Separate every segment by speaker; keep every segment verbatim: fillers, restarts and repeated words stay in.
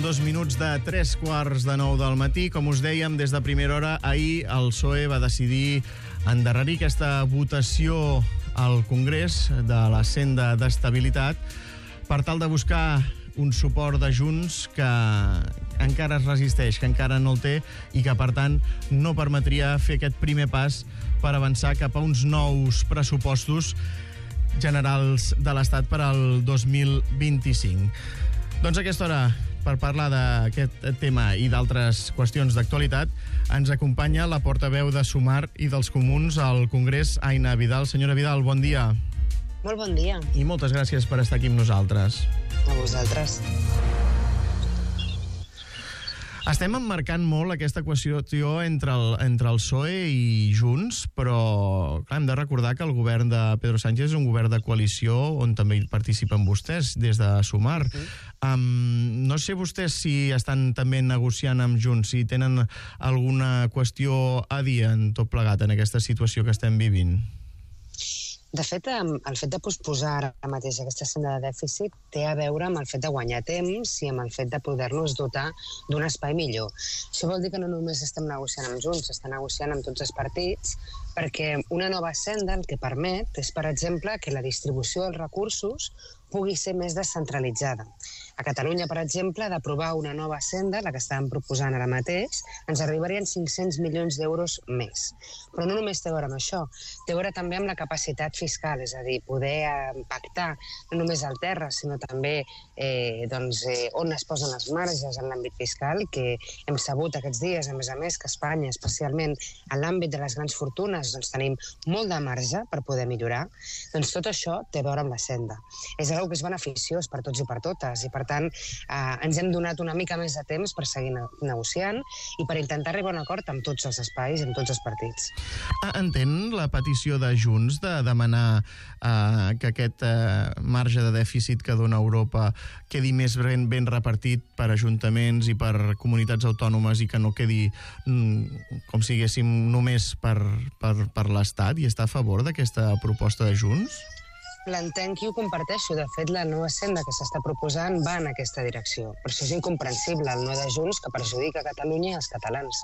Speaker 1: dos minuts de tres quarts de nou del matí. Com us dèiem, des de primera hora, ahir el P S O E va decidir endarrerir aquesta votació al Congrés de la senda d'estabilitat per tal de buscar un suport de Junts que encara es resisteix, que encara no el té i que, per tant, no permetria fer aquest primer pas per avançar cap a uns nous pressupostos generals de l'Estat per al dos mil vint-i-cinc. Doncs a aquesta hora, per parlar d'aquest tema i d'altres qüestions d'actualitat, ens acompanya la portaveu de Sumar i dels Comuns al Congrés, Aina Vidal. Senyora Vidal, bon dia.
Speaker 2: Molt bon dia.
Speaker 1: I moltes gràcies per estar aquí amb nosaltres.
Speaker 2: A vosaltres.
Speaker 1: Estem emmarcant molt aquesta qüestió entre el, entre el P S O E i Junts, però clar, hem de recordar que el govern de Pedro Sánchez és un govern de coalició on també hi participen vostès des de Sumar. Uh-huh. Um, no sé vostès si estan també negociant amb Junts, si tenen alguna qüestió a dir en tot plegat en aquesta situació que estem vivint.
Speaker 2: De fet, el fet de posposar ara mateix aquesta senda de dèficit té a veure amb el fet de guanyar temps i amb el fet de poder-nos dotar d'un espai millor. Això vol dir que no només estem negociant amb Junts, estem negociant amb tots els partits, perquè una nova senda el que permet és, per exemple, que la distribució dels recursos pugui ser més descentralitzada. A Catalunya, per exemple, d'aprovar una nova senda, la que estàvem proposant ara mateix, ens arribarien cinc-cents milions d'euros més. Però no només té a veure amb això, té a veure també amb la capacitat fiscal, és a dir, poder pactar no només al terra, sinó també eh, doncs, eh, on es posen les marges en l'àmbit fiscal, que hem sabut aquests dies, a més a més, que Espanya, especialment en l'àmbit de les grans fortunes, doncs tenim molt de marge per poder millorar. Doncs tot això té a veure amb la senda. És una cosa que és beneficiós per tots i per totes, i per tant eh, ens hem donat una mica més de temps per seguir negociant i per intentar arribar a un acord amb tots els espais i amb tots els partits.
Speaker 1: Entén la petició de Junts de demanar eh, que aquest eh, marge de dèficit que dona Europa quedi més ben, ben repartit per ajuntaments i per comunitats autònomes i que no quedi mm, com si diguéssim només per, per, per l'Estat, i està a favor d'aquesta proposta de Junts?
Speaker 2: L'entenc i ho comparteixo. De fet, la nova senda que s'està proposant va en aquesta direcció. Per això és incomprensible el no de Junts que perjudica Catalunya i els catalans.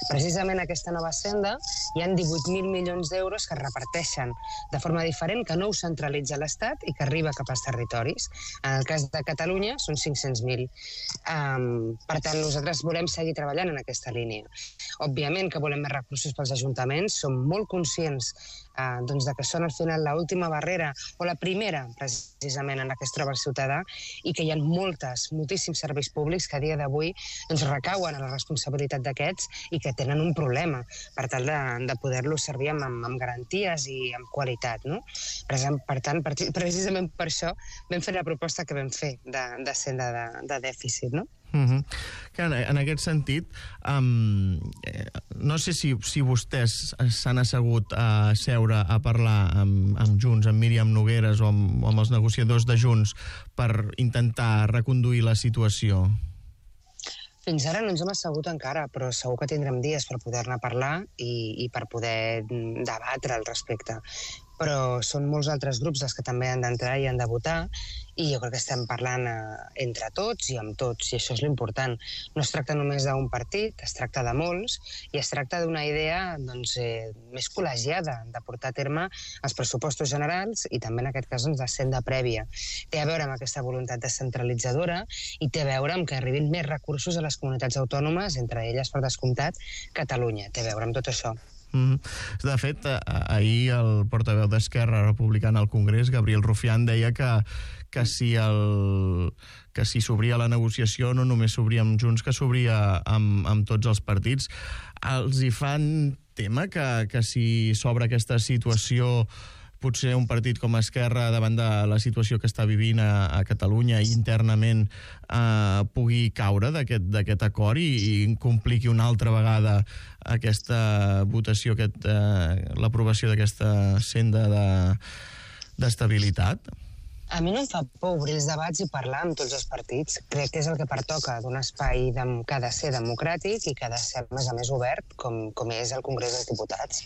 Speaker 2: Precisament aquesta nova senda hi ha divuit mil milions d'euros que es reparteixen de forma diferent, que no ho centralitza l'Estat i que arriba cap als territoris. En el cas de Catalunya són cinc-cents mil. Um, per tant, nosaltres volem seguir treballant en aquesta línia. Òbviament que volem més recursos pels ajuntaments, som molt conscients uh, doncs de que són al final l'última barrera o la primera, precisament, en la que es troba el ciutadà, i que hi ha moltes, moltíssims serveis públics que a dia d'avui doncs, recauen a la responsabilitat d'aquests i que tenen un problema per tal de, de poder-los servir amb, amb garanties i amb qualitat. No? Per, per tant, per, precisament per això vam fer la proposta que vam fer de, de senda de, de dèficit, no?
Speaker 1: Uh-huh. En, en aquest sentit, um, eh, no sé si, si vostès s'han assegut a seure a parlar amb, amb Junts, amb Míriam Nogueres o amb, o amb els negociadors de Junts per intentar reconduir la situació.
Speaker 2: Fins ara no ens hem assegut encara, però segur que tindrem dies per poder-ne parlar i, i per poder debatre al respecte. Però són molts altres grups els que també han d'entrar i han de votar, i jo crec que estem parlant eh, entre tots i amb tots, i això és l'important. No es tracta només d'un partit, es tracta de molts, i es tracta d'una idea doncs, eh, més col·legiada de portar a terme els pressupostos generals i també en aquest cas doncs, de senda prèvia. Té a veure amb aquesta voluntat descentralitzadora i té a veure amb que arribin més recursos a les comunitats autònomes, entre elles, per descomptat, Catalunya. Té a veure amb tot això.
Speaker 1: Mm. De fet, ahir el portaveu d'Esquerra Republicana al Congrés, Gabriel Rufián, deia que, que si el, que si s'obria la negociació no només s'obria amb Junts, que s'obria amb, amb tots els partits. Els hi fan tema que, que si s'obre aquesta situació potser un partit com Esquerra, davant de la situació que està vivint a, a Catalunya i internament, eh, pugui caure d'aquest acord i, i compliqui una altra vegada aquesta votació, aquest, eh, l'aprovació d'aquesta senda de, d'estabilitat?
Speaker 2: A mi no em fa por obrir els debats i parlar amb tots els partits. Crec que és el que pertoca d'un espai que ha de ser democràtic i que ha de ser, a més a més, obert, com, com és el Congrés dels Diputats.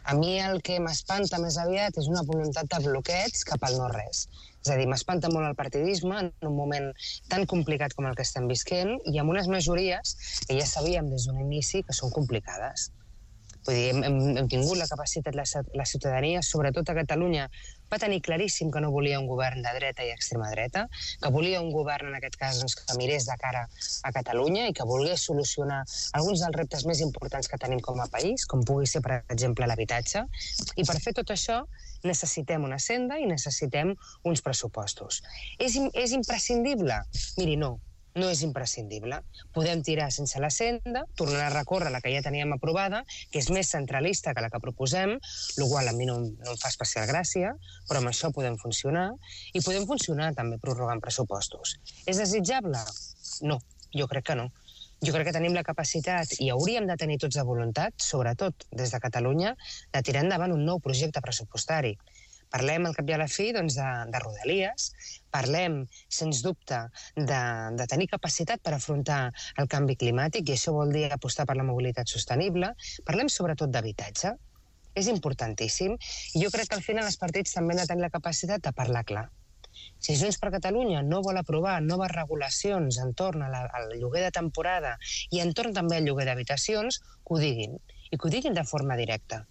Speaker 2: A mi el que m'espanta més aviat és una voluntat de bloqueig cap al no-res. És a dir, m'espanta molt el partidisme en un moment tan complicat com el que estem visquent i amb unes majories que ja sabíem des d'un inici que són complicades. Vull dir, hem, hem, hem tingut la capacitat, la, la ciutadania, sobretot a Catalunya, va tenir claríssim que no volia un govern de dreta i extrema dreta, que volia un govern, en aquest cas, doncs, que mirés de cara a Catalunya i que volgués solucionar alguns dels reptes més importants que tenim com a país, com pugui ser, per exemple, l'habitatge. I per fer tot això necessitem una senda i necessitem uns pressupostos. És, és imprescindible? Miri, no. No és imprescindible. Podem tirar sense la senda, tornar a recórrer la que ja teníem aprovada, que és més centralista que la que proposem, el qual a mi no, no em fa especial gràcia, però amb això podem funcionar, i podem funcionar també prorrogant pressupostos. És desitjable? No, jo crec que no. Jo crec que tenim la capacitat, i hauríem de tenir tots la voluntat, sobretot des de Catalunya, de tirar endavant un nou projecte pressupostari. Parlem, al cap i a la fi, doncs, de, de Rodalies, parlem, sens dubte, de, de tenir capacitat per afrontar el canvi climàtic, i això vol dir apostar per la mobilitat sostenible. Parlem sobretot d'habitatge. És importantíssim. I jo crec que al final els partits també han de tenir la capacitat de parlar clar. Si Junts per Catalunya no vol aprovar noves regulacions entorn a la, al lloguer de temporada i entorn també al lloguer d'habitacions, que ho diguin, i que ho diguin de forma directa.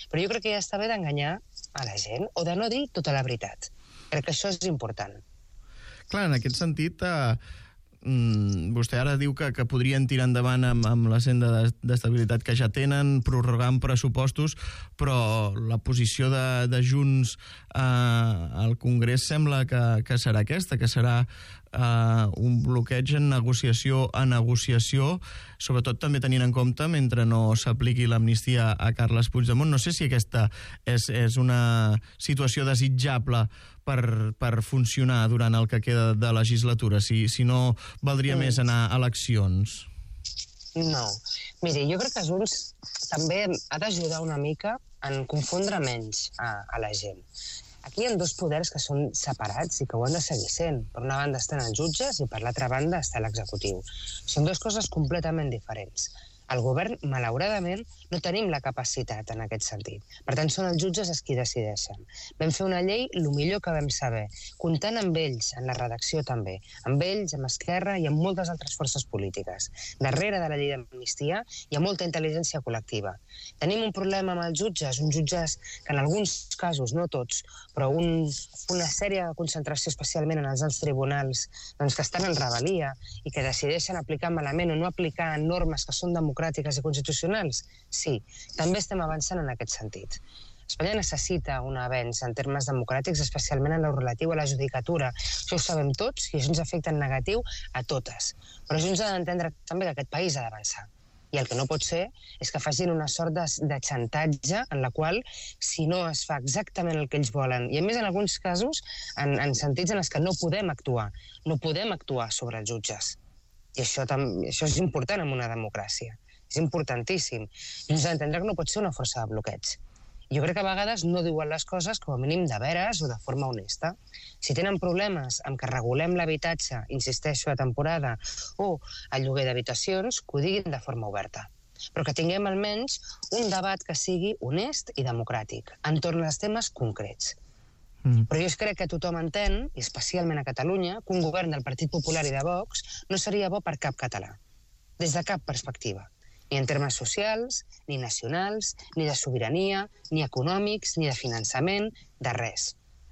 Speaker 2: Però jo crec que ja està bé d'enganyar a la gent o de no dir tota la veritat. Crec que això és important.
Speaker 1: Clar, en aquest sentit, eh, mm, vostè ara diu que, que podrien tirar endavant amb, amb la senda d'estabilitat que ja tenen, prorrogant pressupostos, però la posició de, de Junts eh, al Congrés sembla que, que serà aquesta, que serà Uh, un bloqueig en negociació a negociació, sobretot també tenint en compte mentre no s'apliqui l'amnistia a Carles Puigdemont. No sé si aquesta és, és una situació desitjable per, per funcionar durant el que queda de legislatura, si, si no valdria mm. més anar a eleccions.
Speaker 2: No. Miri, jo crec que Junts també ha d'ajudar una mica en confondre menys a, a la gent. Aquí hi ha dos poders que són separats i que ho han de seguir sent. Per una banda estan els jutges i per l'altra banda està l'executiu. Són dues coses completament diferents. El govern, malauradament, no tenim la capacitat en aquest sentit. Per tant, són els jutges els qui decideixen. Vam fer una llei el millor que vam saber, comptant amb ells, en la redacció també, amb ells, amb Esquerra i amb moltes altres forces polítiques. Darrere de la llei d'amnistia hi ha molta intel·ligència col·lectiva. Tenim un problema amb els jutges, uns jutges que en alguns casos, no tots, però un, una sèrie de concentració, especialment en els alts tribunals, doncs que estan en rebel·lia i que decideixen aplicar malament o no aplicar normes que són democràtiques i constitucionals? Sí, també estem avançant en aquest sentit. Espanya necessita un avenç en termes democràtics, especialment en el relatiu a la judicatura. Això ho sabem tots i això ens afecta en negatiu a totes. Però això ens ha d'entendre també que aquest país ha d'avançar. I el que no pot ser és que facin una sort de, de xantatge en la qual, si no es fa exactament el que ells volen, i a més en alguns casos en, en sentits en els que no podem actuar, no podem actuar sobre els jutges. I això, tam, això és important en una democràcia. És importantíssim. I ens ha d'entendre que no pot ser una força de bloqueig. Jo crec que a vegades no diuen les coses com a mínim de veres o de forma honesta. Si tenen problemes amb que regulem l'habitatge, insisteixo, a temporada, o el lloguer d'habitacions, que ho diguin de forma oberta. Però que tinguem almenys un debat que sigui honest i democràtic, entorn als temes concrets. Mm. Però jo crec que tothom entén, i especialment a Catalunya, que un govern del Partit Popular i de Vox no seria bo per cap català, des de cap perspectiva. Ni en termes socials, ni nacionals, ni de sobirania, ni econòmics, ni de finançament, de res.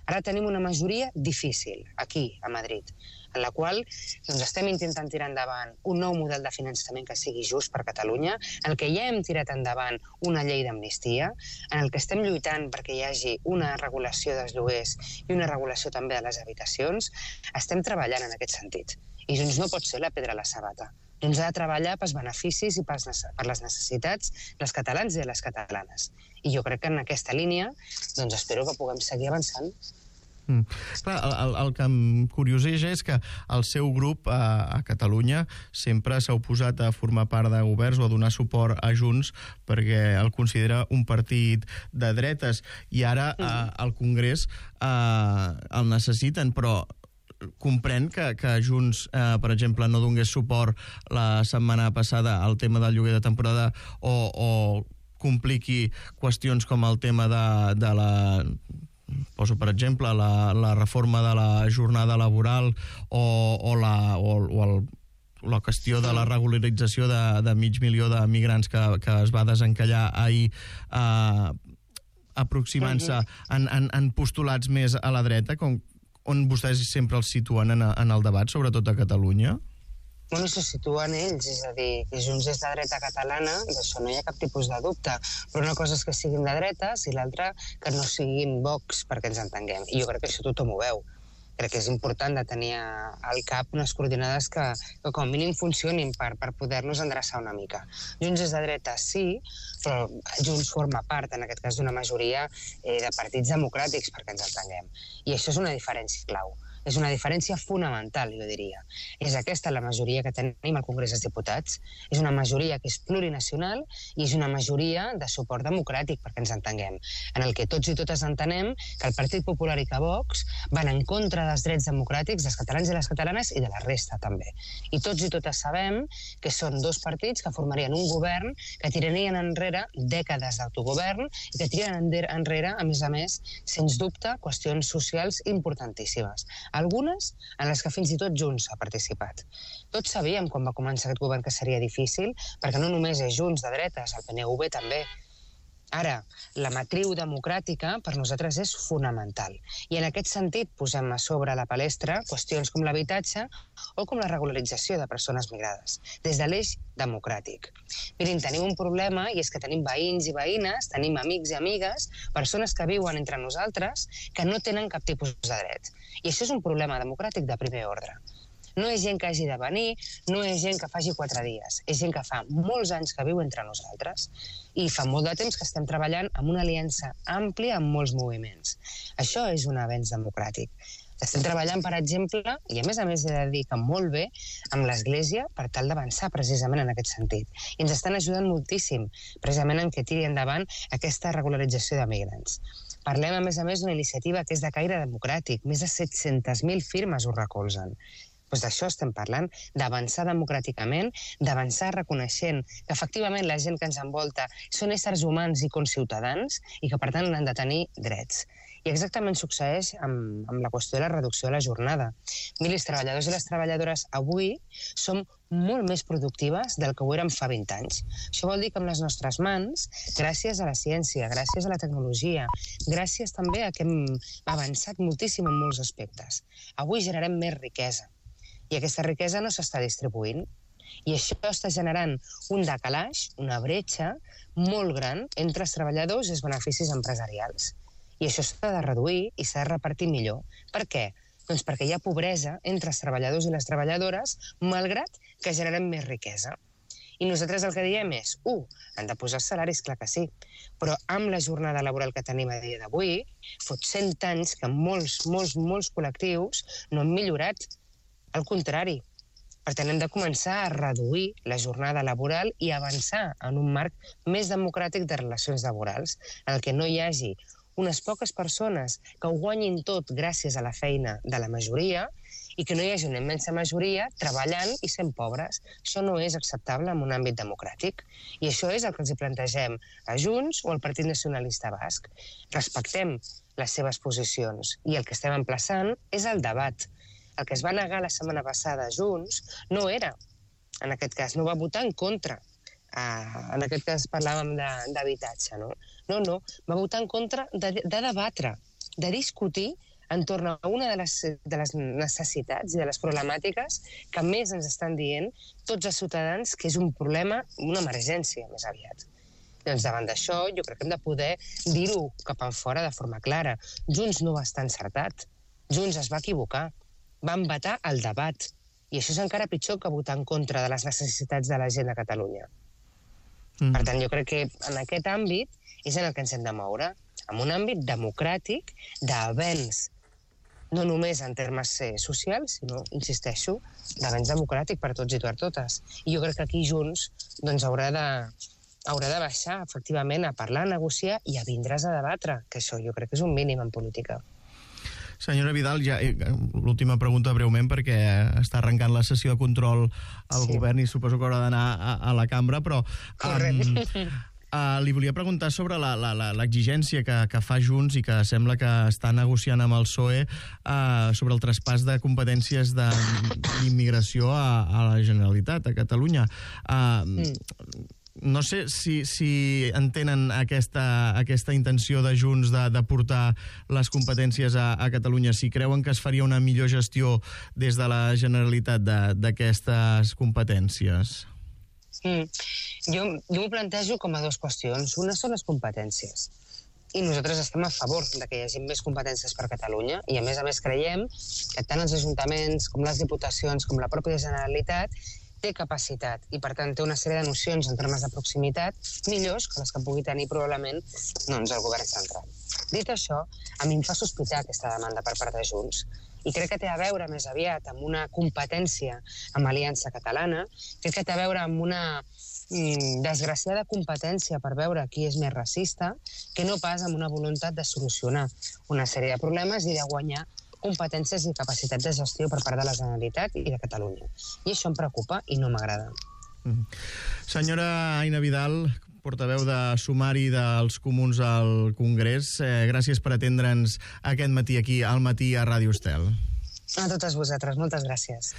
Speaker 2: Ara tenim una majoria difícil, aquí, a Madrid, en la qual doncs, estem intentant tirar endavant un nou model de finançament que sigui just per Catalunya, en el que ja hem tirat endavant una llei d'amnistia, en el que estem lluitant perquè hi hagi una regulació dels lloguers i una regulació també de les habitacions. Estem treballant en aquest sentit. I Junts no pot ser la pedra a la sabata. Junts ha de treballar pels beneficis i per les necessitats dels catalans i de les catalanes. I jo crec que en aquesta línia doncs espero que puguem seguir avançant.
Speaker 1: Mm. Clar, el, el que em curioseja és que el seu grup a, a Catalunya sempre s'ha oposat a formar part de governs o a donar suport a Junts perquè el considera un partit de dretes i ara mm. a, al Congrés a, el necessiten, però comprèn que, que Junts, eh, per exemple, no donés suport la setmana passada al tema del lloguer de temporada o, o compliqui qüestions com el tema de, de la... Poso, per exemple, la, la reforma de la jornada laboral o, o, la, o, o el, la qüestió de la regularització de, de mig milió de migrants que, que es va desencallar ahir, eh, aproximant-se en, en, en postulats més a la dreta, com, on vostès sempre els situen en, en el debat, sobretot a Catalunya?
Speaker 2: Bueno, se situen ells, és a dir, que Junts és de dreta catalana, d'això no hi ha cap tipus de dubte, però una cosa és que siguin de dretes i l'altra que no siguin Vox, perquè ens entenguem. I jo crec que això tothom ho veu. Crec que és important de tenir al cap unes coordinades que, que com a mínim funcionin per, per poder-nos endreçar una mica. Junts és de dreta, sí, però Junts forma part, en aquest cas, d'una majoria eh, de partits democràtics, perquè ens entenguem. I això és una diferència clau. És una diferència fonamental, jo diria. És aquesta la majoria que tenim al Congrés dels Diputats. És una majoria que és plurinacional i és una majoria de suport democràtic, perquè ens entenguem, en el que tots i totes entenem que el Partit Popular i que Vox van en contra dels drets democràtics dels catalans i les catalanes i de la resta, també. I tots i totes sabem que són dos partits que formarien un govern que tirarien enrere dècades d'autogovern i que tirarien enrere, a més a més, sens dubte, qüestions socials importantíssimes. Algunes en les que fins i tot Junts ha participat. Tots sabíem quan va començar aquest govern que seria difícil, perquè no només és Junts de dretes, el P N V també. Ara, la matriu democràtica per nosaltres és fonamental. I en aquest sentit posem a sobre la palestra qüestions com l'habitatge o com la regularització de persones migrades, des de l'eix democràtic. Mirin, tenim un problema i és que tenim veïns i veïnes, tenim amics i amigues, persones que viuen entre nosaltres que no tenen cap tipus de dret. I això és un problema democràtic de primer ordre. No és gent que hagi de venir, no és gent que faci quatre dies, és gent que fa molts anys que viu entre nosaltres i fa molt de temps que estem treballant amb una aliança àmplia amb molts moviments. Això és un avenç democràtic. Estem treballant, per exemple, i a més a més he de dir que molt bé, amb l'Església per tal d'avançar precisament en aquest sentit. I ens estan ajudant moltíssim, precisament en què tiri endavant aquesta regularització de migrants. Parlem, a més a més, d'una iniciativa que és de caire democràtic. Més de set-centes mil firmes ho recolzen. Doncs d'això estem parlant, d'avançar democràticament, d'avançar reconeixent que efectivament la gent que ens envolta són éssers humans i conciutadans i que per tant han de tenir drets. I exactament succeeix amb, amb la qüestió de la reducció de la jornada. Miri, els treballadors i les treballadores avui som molt més productives del que ho érem fa vint anys. Això vol dir que amb les nostres mans, gràcies a la ciència, gràcies a la tecnologia, gràcies també a que hem avançat moltíssim en molts aspectes, avui generem més riquesa. I aquesta riquesa no s'està distribuint. I això està generant un decalaix, una bretxa molt gran entre els treballadors i els beneficis empresarials. I això s'ha de reduir i s'ha de repartir millor. Per què? Doncs perquè hi ha pobresa entre els treballadors i les treballadores, malgrat que generem més riquesa. I nosaltres el que diem és, u, han de posar salaris, clar que sí, però amb la jornada laboral que tenim a dia d'avui, fot cent anys que molts, molts, molts col·lectius no han millorat. Al contrari, per tant hem de començar a reduir la jornada laboral i avançar en un marc més democràtic de relacions laborals, en el que no hi hagi unes poques persones que ho guanyin tot gràcies a la feina de la majoria i que no hi hagi una immensa majoria treballant i sent pobres. Això no és acceptable en un àmbit democràtic. I això és el que els hi plantegem a Junts o al Partit Nacionalista Basc. Respectem les seves posicions i el que estem emplaçant és el debat. El que es va negar la setmana passada a Junts no era, en aquest cas, no va votar en contra. Uh, en aquest cas parlàvem d'habitatge, no? No, no, va votar en contra de, de debatre, de discutir entorn a una de les, de les necessitats i de les problemàtiques que més ens estan dient tots els ciutadans que és un problema, una emergència més aviat. Doncs davant d'això jo crec que hem de poder dir-ho cap enfora de forma clara. Junts no va estar encertat, Junts es va equivocar. Van vetar el debat. I això és encara pitjor que votar en contra de les necessitats de la gent de Catalunya. Mm. Per tant, jo crec que en aquest àmbit és en el que ens hem de moure, en un àmbit democràtic, d'avenç, no només en termes eh, socials, sinó, insisteixo, d'avenç democràtic per tots i per totes. I jo crec que aquí Junts doncs, haurà de, haurà de baixar, efectivament, a parlar, a negociar i a vindre's a debatre, que això jo crec que és un mínim en política.
Speaker 1: Senyora Vidal, ja, l'última pregunta breument, perquè està arrencant la sessió de control al sí. govern i suposo que haurà d'anar a, a la cambra, però... Um, Uh, li volia preguntar sobre l'exigència que, que fa Junts i que sembla que està negociant amb el P S O E uh, sobre el traspàs de competències d'immigració a, a la Generalitat, a Catalunya. Uh, mm. No sé si, si entenen aquesta, aquesta intenció de Junts de, de portar les competències a, a Catalunya, si creuen que es faria una millor gestió des de la Generalitat d'aquestes competències.
Speaker 2: Mm. Jo, jo m'ho plantejo com a dues qüestions. Una són les competències. I nosaltres estem a favor de que hi hagi més competències per Catalunya i, a més a més, creiem que tant els ajuntaments com les diputacions com la pròpia Generalitat té capacitat i, per tant, té una sèrie de nocions en termes de proximitat millors que les que pugui tenir probablement doncs, el govern central. Dit això, a mi em fa sospitar aquesta demanda per part de Junts i crec que té a veure més aviat amb una competència amb Aliança Catalana, crec que té a veure amb una mm, desgraciada competència per veure qui és més racista, que no pas amb una voluntat de solucionar una sèrie de problemes i de guanyar competències i capacitat de gestió per part de la Generalitat i de Catalunya. I això em preocupa i no m'agrada.
Speaker 1: Mm. Senyora Aina Vidal, portaveu de Sumari dels Comuns al Congrés, eh, gràcies per atendre'ns aquest matí aquí al Matí a Ràdio Estel.
Speaker 2: A totes vosaltres, moltes gràcies.